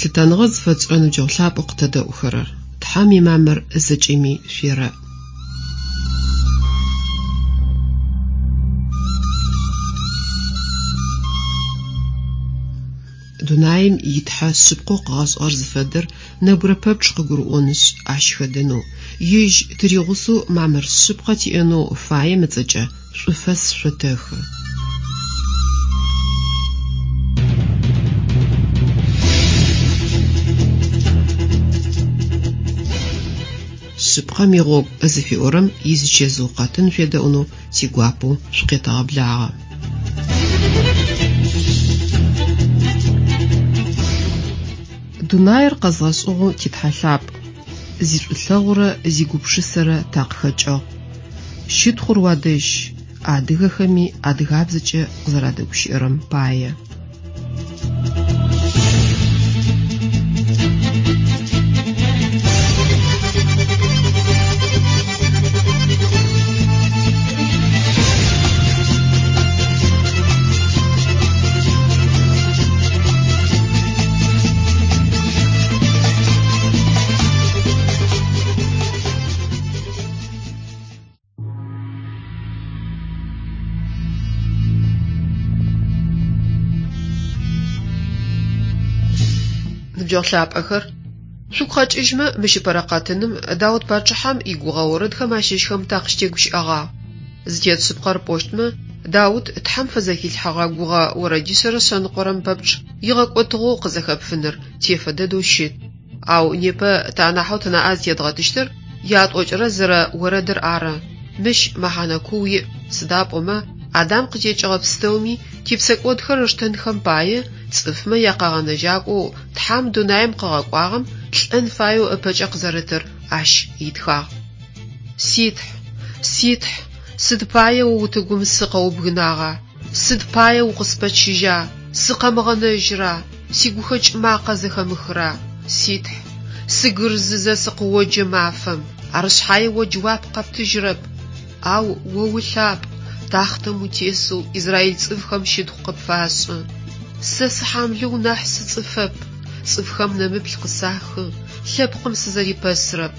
Лъытэныгъэ зыфэтшӏырэ ныбджэгъу лъапӏэу къытэдэӏухэрэр! Тхьэм имамыр зэкӏэми шъуерэӏ. Дунаим и Тхьэ шъыпкъэу къыгъэшӏыгъэр зыфэдэр нэбгырэ пэпчъ къыгурыӏонышъ, ащ хэдэнэу, ежь тыригъусэу мамыр шъыпкъэ тиӏэнэу фаем ыцӏэкӏэ шӏуфэс шъотэхы. Шъыпкъэм игъогу зыфиӏорэм изичэзыу къэтын шъуедэӏунэу тигуапэу шъукъетэгъэблагъэ. Дунаир къэзгъэшӏыгъэу ти Тхьэ лъапӏ, зишӏулъэгъурэ зигупшысэрэ такъыхэкӏыгъ. Щытхъур уадэжь, адыгэхэми адыгабзэкӏэ къызэрадэгущыӏэрэм пае. Ныбджэгъу лъапӏэхэр, шъугу къэкӏыжьмэ, мыщ ыпэрэ къэтыным Даут пачъыхьэм игугъэ орэдхэм ащыщхэм такъыщытегущыӏэгъагъ. Зытет шъыпкъэр пӏощтмэ, Даут Тхьэм фызэхилъхьэгъэ гугъэ орэдишъэрэ шъэныкъорэм пэпчъ игъэкӏотыгъэу къызэхэпфыныр тефэ дэдэу щыт. Ау непэ тэ анахьэу тынаӏэ зытедгъэтыщтыр ятӏокӏырэ зырэ орэдыр ары. Мыщ мэхьанэ куу иӏ, сыда пӏомэ Адам къытекӏыгъэ пстэуми типсэкӏодхэр ыштэнхэм пае цӏыфмэ якъэгъэнэжьакӏоу Тхьэм дунаим къыгъэкӏуагъэм лӏэн фаеу ыпэкӏэ къызэрытыр ащ итхагъ. Ситхь! Ситхь! Сыд пае о утыгум сыкъэубгынагъа? Сыд пае укъыспэчыжьа? Сыкъэмыгъэнэжьра? Сигухэкӏ макъэ зэхэмыхра? Ситхь! Сыгырзызэ сыкъыоджэ мафэм, ар шъхьае о джэуап къэптыжьрэп. Ау о улъапӏ, тахътэм утесэу израиль цӏыфхэм щытхъу къыпфашӏы. Сэ сыхьамлыу нахь сыцӏыфэп, цӏыфхэм нэмыплъ къысахы, лъэпкъым сызэрипэсрэп.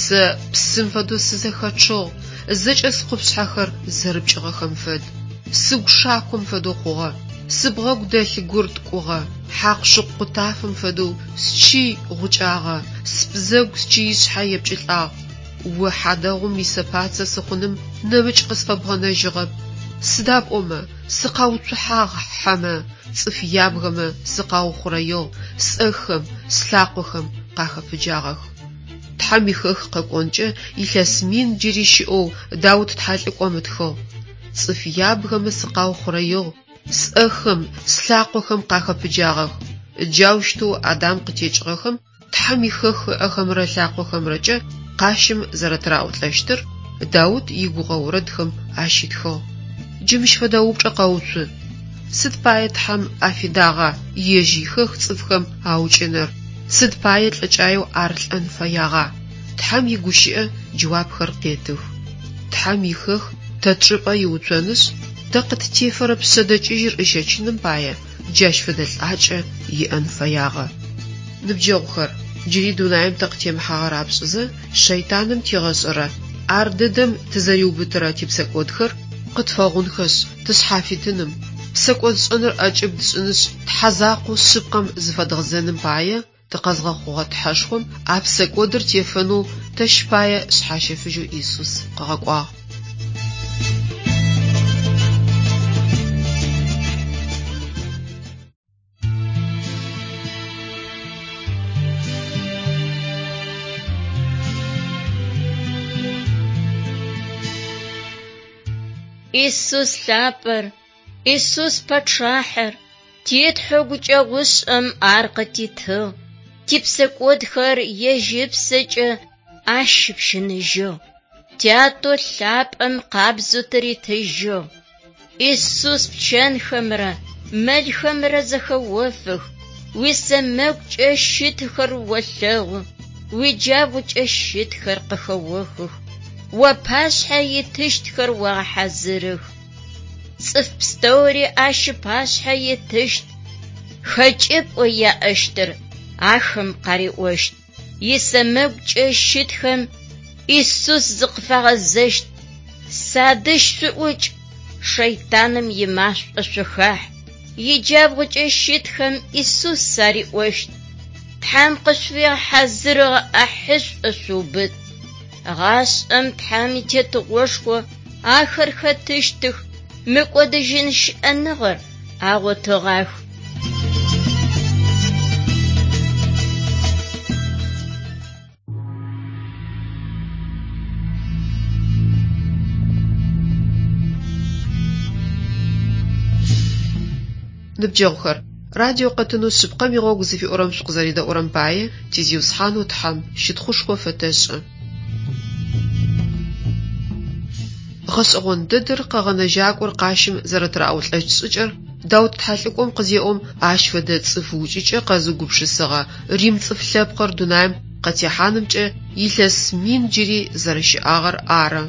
Сэ псым фэдэу сызэхэчъыгъ, зэкӏэ скъупшъхьэхэр зэрыпкӏыгъэхэм фэд. Сыгу шаком фэдэу хъугъэ, сыбгъэгу дэлъ гур ткӏугъэ, хьакъу-шыкъу къутафэм фэдэу счый гъукӏагъэ, сбзэгу счыишъхьэ епкӏылӏагъ. О хьадэгъум исэпацэ сыхъуным нэмыкӏ къысфэбгъэнэжьыгъэп. Сыда пӏомэ, сыкъауцухьагъ хьэмэ, цӏыф ябгэмэ сыкъаухъурэигъ, сӏэхэм, слъакъохэм къахэпыджагъэх. Тхьэм ихэх къэкӏонкӏэ илъэс мин джыри щыӏэу Даут тхьэлӏыкӏом ытхыгъ. Цӏыф ябгэмэ сыкъаухъурэигъ, сӏэхэм, слъакъохэм къахэпыджагъэх. Джаущтэу Адам къытекӏыгъэхэм Тхьэм ихэх ыӏэхэмрэ ылъакъохэмрэкӏэ къащым зэрэтыраӏулӏэщтыр Даут игугъэ орэдхэм ащитхыгъ. Джы мыщ фэдэ упчӏэ къэуцу, Сыд пае Тхьэм афидагъа ежь ихэх цӏыфхэм аукӏыныр? Сыд пае лӏыкӏаеу ар лӏэн фэягъа? Тхьэм игущыӏэ джэуапхэр къетых. Тхьэм ихэх тэ тчӏыпӏэ иуцонышъ, тэ къыттефэрэ пшъэдэкӏыжьыр ыщэчыным пае джащ фэдэ лӏакӏэ иӏэн фэягъэ. Ныбджэгъухэр, джыри дунаим тыкъытемыхьагъэ рапшӏызэ, шэйтаным тигъэшӏэрэ, ар дэдэм тызэриубытырэ типсэкӏодхэр къытфэгъунхэшъ, тышъхьафитыным, псэкӏодшӏэныр ӏэкӏыб тшӏынышъ, Тхьэ закъоу шъыпкъэм зыфэдгъэзэным пае, тыкъэзгъэхъугъэ Тхьэшхом а псэкӏодыр тефэнэу тэщ пае Шъхьащэфыжьэу Исус къыгъэкӏуагъ. Исус лъапӏэр, Исус пачъахьэр, ти Тхьэу гукӏэгъушӏэм ар къытитыгъ, типсэкӏодхэр ежь ыпсэкӏэ ащ ыпщыныжьыгъ, Тятэу лъапӏэм къабзэу тыритыжьыгъ. Исус пчэнхэмрэ мэлхэмрэ зэхэофых, уисэмэгукӏэ щытхэр олъэгъу, уиджабгъукӏэ щытхэр къыхэохых, уапашъхьэ итыщтхэр огъэхьазырых. Цӏыф пстэури ащ ыпашъхьэ итыщт, хэкӏыпӏэу яӏэщтыр ахэм къариӏощт. Исэмэгукӏэ щытхэм Исус зыкъыфагъэзэщт: Садэжь шъуӏукӏ, шэйтаным имашӏо шъухахь. Иджабгъукӏэ щытхэм Исус ариӏощт: Тхьэм къышъуфигъэхьазырыгъэ ӏахьышӏу шъуубыт. Гъашӏэм Тхьэм итетыгъошхо ахэр хэтыщтых, мыкӏодыжьын щыӏэныгъэр агъотыгъах. Ныбджэгъухэр, радио къэтынэу Шъыпкъэм игъогу зыфиӏорэм шъукъызэредэӏурэм пае ти Зиусхьанэу Тхьэм щытхъушхо фэтэшӏы. Гъэшӏэгъон дэдэр Къэгъэнэжьакӏор къащым зэрэтыраӏулӏэщт шӏыкӏэр Даут тхьэлӏыкӏом къызеӏом, ащ фэдэ цӏыф укӏыкӏэ къэзыугупшысыгъэ рим цӏыф лъэпкъыр дунаим къытехьанымкӏэ илъэс мин джыри зэрэщыӏагъэр ары.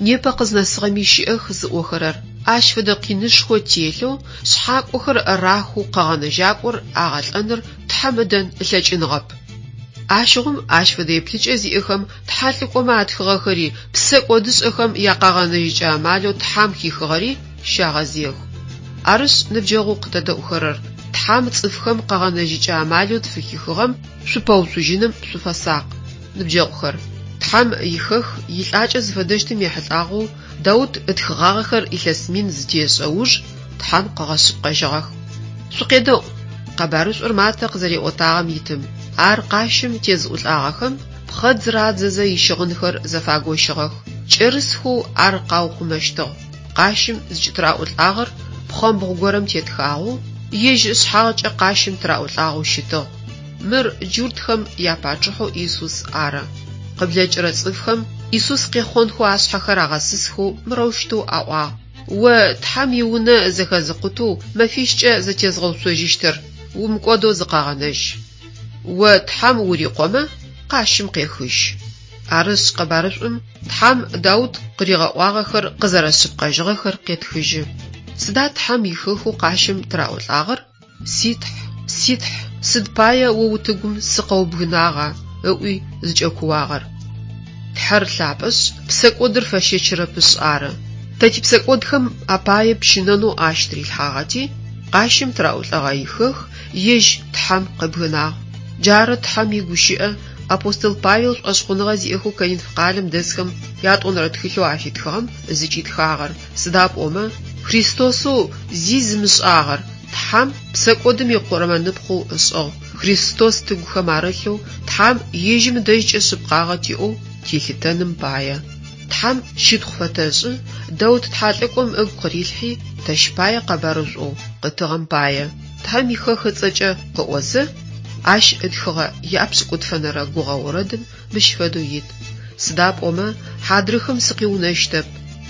Непэ къызнэсыгъэми щыӏэх зыӏохэрэр, ащ фэдэ къинышхо телъэу, шъхьакӏохэр рахэу Къэгъэнэжьакӏор агъэлӏэныр Тхьэм ыдэн ылъэкӏыныгъэп. Ащыгъум ащ фэдэ еплъыкӏэ зиӏэхэм тхьэлӏыкӏомэ атхыгъэхэри, псэкӏодышӏэхэм якъэгъэнэжьыкӏэ амалэу Тхьэм хихыгъэри щагъэзыех. Арышъ, ныбджэгъоу къытэдэӏухэрэр, Тхьэм цӏыфхэм къэгъэнэжьыкӏэ амалэу тфыхихыгъэм шъупэуцужьыным шъуфэсакъ. Ныбджэгъухэр, Тхьэм ихэх илӏакӏэ зыфэдэщтым ехьылӏагъэу Даут ытхыгъагъэхэр илъэс мин зытешӏэ уж Тхьэм къыгъэшъыпкъэжьыгъэх. Шъукъедэӏу! Къэбарышӏур Матэ къызэриӏотагъэм итым, ар къащым тезыӏулӏагъэхэм пхъэдз радзэзэ ищыгъынхэр зэфагощыгъэх, кӏэрысхэу ар къаухъумэщтыгъ. Къащым зыкӏытыраӏулӏагъэр пхъэмбгъу горэм тетхагъэу, ежь ышъхьагъкӏэ къащым тыраӏулӏагъэу щытыгъ. Мыр джуртхэм япачъыхьэу Исус ары. Къыблэкӏырэ цӏыфхэм Исус къехъонхэу ашъхьэхэр агъэсысхэу мырэущтэу аӏуагъ, О Тхьэм иунэ зэхэзыкъутэу мэфищкӏэ зэтезгъэуцожьыщтыр, умыкӏодэу зыкъэгъэнэжь. О Тхьэм урикъомэ, къащым къехыжь. Арышъ, къэбарышӏум Тхьэм Даут къыригъэӏуагъэхэр къызэрэшъыпкъэжьыгъэхэр къетхыжьы. Сыда Тхьэм ихэхэу къащым тыраӏулӏагъэр? Ситхь, ситхь, сыд пае о утыгум сыкъэубгынагъа? ыӏуи зыкӏэкууагъэр. Тхьэр лъапӏэшъ, псэкӏодыр фэщэчырэпышъ ары. Тэ типсэкӏодхэм апае пщынэнэу ащ тырилъхьагъэти, къащым тыраӏулӏэгъэ ихэх ежь Тхьэм къыбгынагъ. Джары Тхьэм игущыӏэ апостол Павел шӏошъхъуныгъэ зиӏэхэу Коринф къалэм дэсхэм ятӏонэрэ тхылъэу афитхыгъэм зыкӏитхагъэр, сыда пӏомэ Христосэу зи зымышӏагъэр Тхьэм псэкӏодым икъурмэныпхъэу ышӏыгъ, Христос тыгухэм арылъэу Тхьэм ежьым ыдэжькӏэ шъыпкъагъэ тиӏэу тилъытэным пае. Тхьэм щытхъу фэтэшӏы, Даут тхьэлӏыкӏом ыгу къырилъхьи, тэщ пае къэбарышӏоу къытыгъэм пае, Тхьэм ихэх ыцӏэкӏэ къыӏозэ, ащ ытхыгъэ япшӏыкӏутфэнэрэ гугъэ орэдым мыщ фэдэу ит, Сыда пӏомэ хьадрыхэм сыкъиунэщтэп,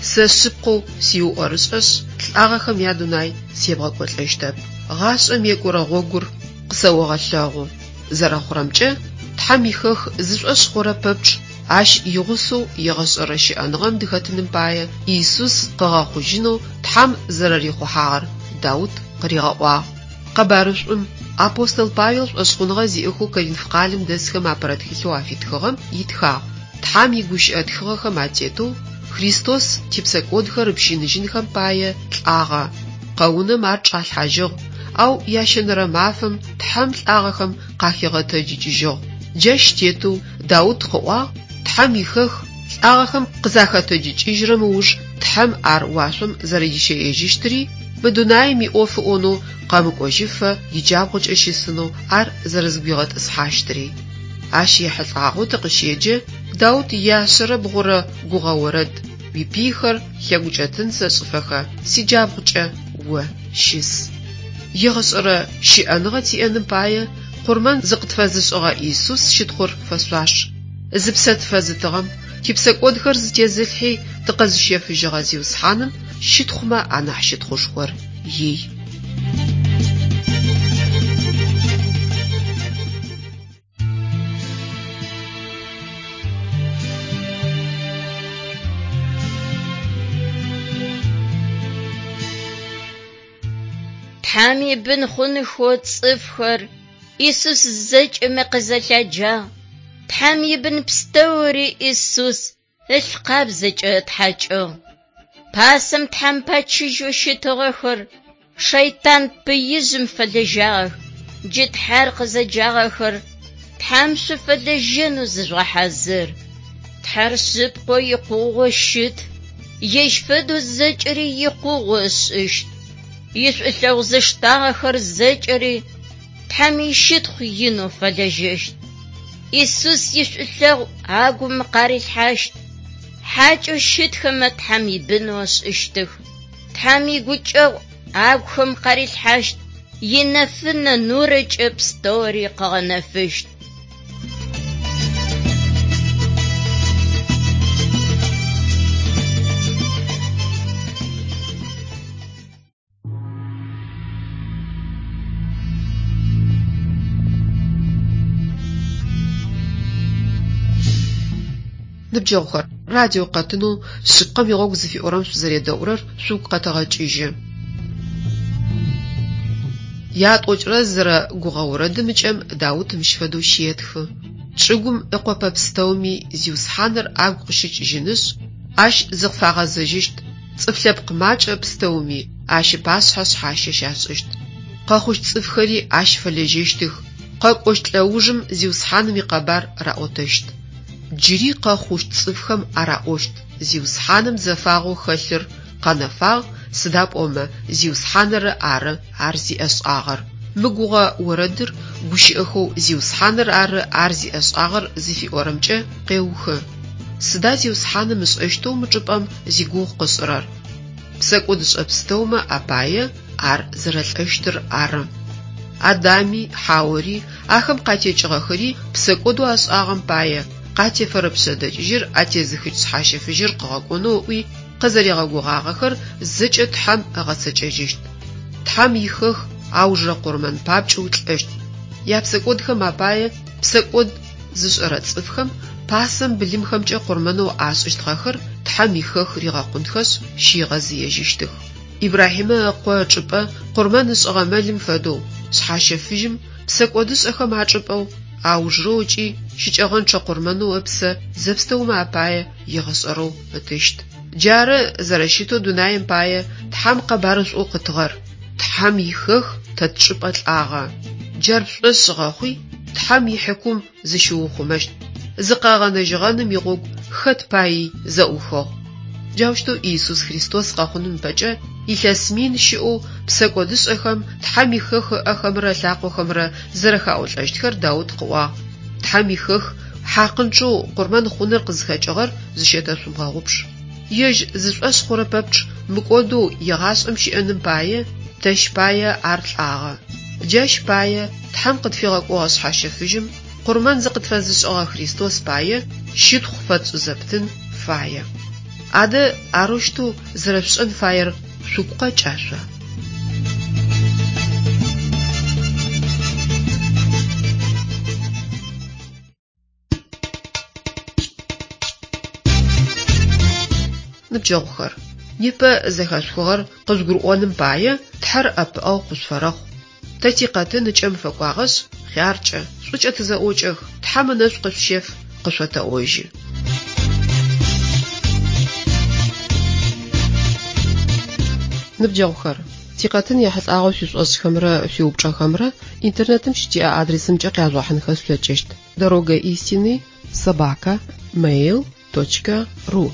сэ шъыпкъэу сиуӏорышӏэшъ, лӏагъэхэм ядунай себгъэкӏолӏэщтэп. Гъашӏэм екӏурэ гъогур къысэогъэлъэгъу. Зэрэхъурэмкӏэ, Тхьэм ихэх зышӏошъ хъурэ пэпчъ ащ игъусэу егъэшӏэрэ щыӏэныгъэм дыхэтыным пае Исус къыгъэхъужьынэу Тхьэм зэрэрихъухьагъэр Даут къыригъэӏуагъ. Къэбарышӏум апостол Павел шӏошъхъуныгъэ зиӏэхэу Коринф къалэм дэсхэм апэрэ тхылъэу афитхыгъэм итхагъ, Тхьэм игущыӏэ тхыгъэхэм атетэу Христос типсэкӏодхэр ыпщыныжьынхэм пае лӏагъэ. Къэунэм ар чӏалъхьажьыгъ, ау ящэнэрэ мафэм Тхьэм лӏагъэхэм къахигъэтэджыкӏыжьыгъ. Джащ тетэу Даут къыӏуагъ, Тхьэм ихэх лӏагъэхэм къызахэтэджыкӏыжьрэм ыуж Тхьэм ар уашъом зэрэдищэежьыщтыри, мы дунаим иӏоф ыӏонэу къэмыкӏожьыфэ иджабгъукӏэ щысынэу ар зэрэзыгуигъэтӏысхьащтыри. Ащ ехьылӏагъэу тыкъыщеджэ Даут ияшъэрэ бгъурэ гугъэ орэд, Уипыйхэр лъэгукӏэтын сэшӏыфэхэ сиджабгъукӏэ о щыс. Егъэшӏэрэ щыӏэныгъэ тиӏэным пае къурмэн зыкъытфэзышӏыгъэ Исус щытхъур фэшъуаш. Зыпсэ тфэзытыгъэм, типсэкӏодхэр зытезылъхьи тыкъэзыщэфыжьыгъэ Зиусхьаным щытхъумэ анахь щытхъушхор ий. Тхьэм ибын хъунхэу цӏыфхэр Исус зэкӏэмэ къызэлъяджагъ. Тхьэм ибын пстэури Исус ылъ къабзэкӏэ ытхьакӏыгъ. Пасэм Тхьэм пэчыжьэу щытыгъэхэр шэйтан пыижъым фэлэжьагъэх. Джы Тхьэр къызэджагъэхэр Тхьэм шъуфэлэжьэнэу зыжъугъэхьазыр. Тхьэр шъыпкъэу икъугъэу щыт, ежь фэдэу зэкӏэри икъугъэу ышӏыщт. Ишӏулъэгъу зыштагъэхэр зэкӏэри Тхьэм ищытхъу инэу фэлэжьэщт. Исус ишӏулъэгъу агум къарилъхьащт. Хьакӏэу щытхэмэ Тхьэм ибынэу ышӏыщтых. Тхьэм игукӏэгъу агухэм къарилъхьащт, инэфынэ нурэкӏэ пстэури къыгъэнэфыщт. Ныбджэгъухэр, радио къэтынэу Шъыпкъэм игъогу зыфиӏорэм шъузэредэӏурэр шъугу къэтэгъэкӏыжьы. Ятӏокӏырэ зырэ гугъэ орэдым ыкӏэм Даут мыщ фэдэу щетхы: Чӏыгум ыкъопэ пстэуми Зиусхьаныр агу къыщыкӏыжьынышъ, Ащ зыкъыфагъэзэжьыщт, цӏыф лъэпкъ макӏэ пстэуми Ащ ыпашъхьэ шъхьащэ щашӏыщт. Къэхъущт цӏыфхэри Ащ фэлэжьэщтых, къэкӏощт лӏэужым Зиусхьаным икъэбар раӏотэщт. Джыри къэхъущт цӏыфхэм араӏощт: Зиусхьаным зэфагъэу хэлъыр къэнэфагъ, сыда пӏомэ Зиусхьаныр ары ар зиӏэшӏагъэр. Мы гугъэ орэдыр гущыӏэхэу Зиусхьаныр ары ар зиӏэшӏагъэр зыфиӏорэмкӏэ къеухы. Сыда Зиусхьаным ышӏэщтэу мы чӏыпӏэм зигугъу къышӏырэр? Псэкӏодышӏэ пстэумэ апае ар зэрэлӏэщтыр ары. Адами, Хьаори, ахэм къатекӏыгъэхэри псэкӏодэу ашӏагъэм пае къатефэрэ пшъэдэкӏыжьыр атезыхыщт шъхьащэфыжьыр къыгъэкӏонэу ыӏуи къызэригъэгугъагъэхэр зэкӏэ Тхьэм ыгъэцэкӏэжьыщт. Тхьэм ихэх аужырэ къурмэн папкӏэу лӏэщт. Япсэкӏодхэм апае псэкӏод зышӏэрэ цӏыфхэм пасэм былымхэмкӏэ къурмэнэу ашӏыщтыгъэхэр Тхьэм ихэх ригъэкъунхэшъ, щигъэзыежьыщтых. Ибрахьимэ ыкъо ычӏыпӏэ къурмэн ышӏыгъэ мэлым фэдэу, шъхьащэфыжьым псэкӏодышӏэхэм ачӏыпӏэу, аужырэу ыкӏи щыкӏэгъэнчъэ къурмэнэу ыпсэ зэпстэумэ апае егъэшӏэрэу ытыщт. Джары зэрэщытэу дунаим пае Тхьэм къэбарышӏоу къытыгъэр. Тхьэм ихэх тэ тчӏыпӏэ лӏагъэ. Джар пшӏошъ гъэхъуи, Тхьэм ихьыкум зыщыухъумэщт. Зыкъэгъэнэжьыгъэным игъогу хэт паий зэӏухыгъ. Джаущтэу Иисус Христос къэхъуным ыпэкӏэ илъэс мин щыӏэу псэкӏодышӏэхэм Тхьэм ихэх ыӏэхэмрэ ылъакъохэмрэ зэрэхаӏулӏэщтхэр Даут къыӏуагъ. Тхьэм ихэх хьакъынчъэу къурмэн хъуныр къызхэкӏыгъэр зыщэтэшъумыгъэгъупш. Ежь зышӏошъ хъурэ пэпчъ мыкӏодэу егъашӏэм щыӏэным пае, тэщ пае ар лӏагъэ. Джащ пае Тхьэм къытфигъэкӏогъэ шъхьащэфыжьым къурмэн зыкъытфэзышӏыгъэ Христос пае щытхъу фэтшӏызэптын фае. Адэ арэущтэу зэрэшъушӏэн фаер шъугу къэкӏа шъо? Ныбджэгъухэр, непэ зэхэшъухыгъэр къыжъугурыӏоным пае Тхьэр ӏэпыӏэгъу къышъуфэрэхъу. Тэ тикъэтын ыкӏэм фэкӏуагъэшъ, хъяркӏэ, шӏукӏэ тызэӏокӏэх, Тхьэм ынэшӏу къышъущеф, къышъотэӏожьы. Ныбджэгъухэр, тикъэтын ехьылӏагъэу шъуишӏошӏхэмрэ шъуиупчӏэхэмрэ интернетым щытиӏэ адресымкӏэ къяжъугъэхьынхэ шъулъэкӏыщт: дорога истины собака mail точка ру.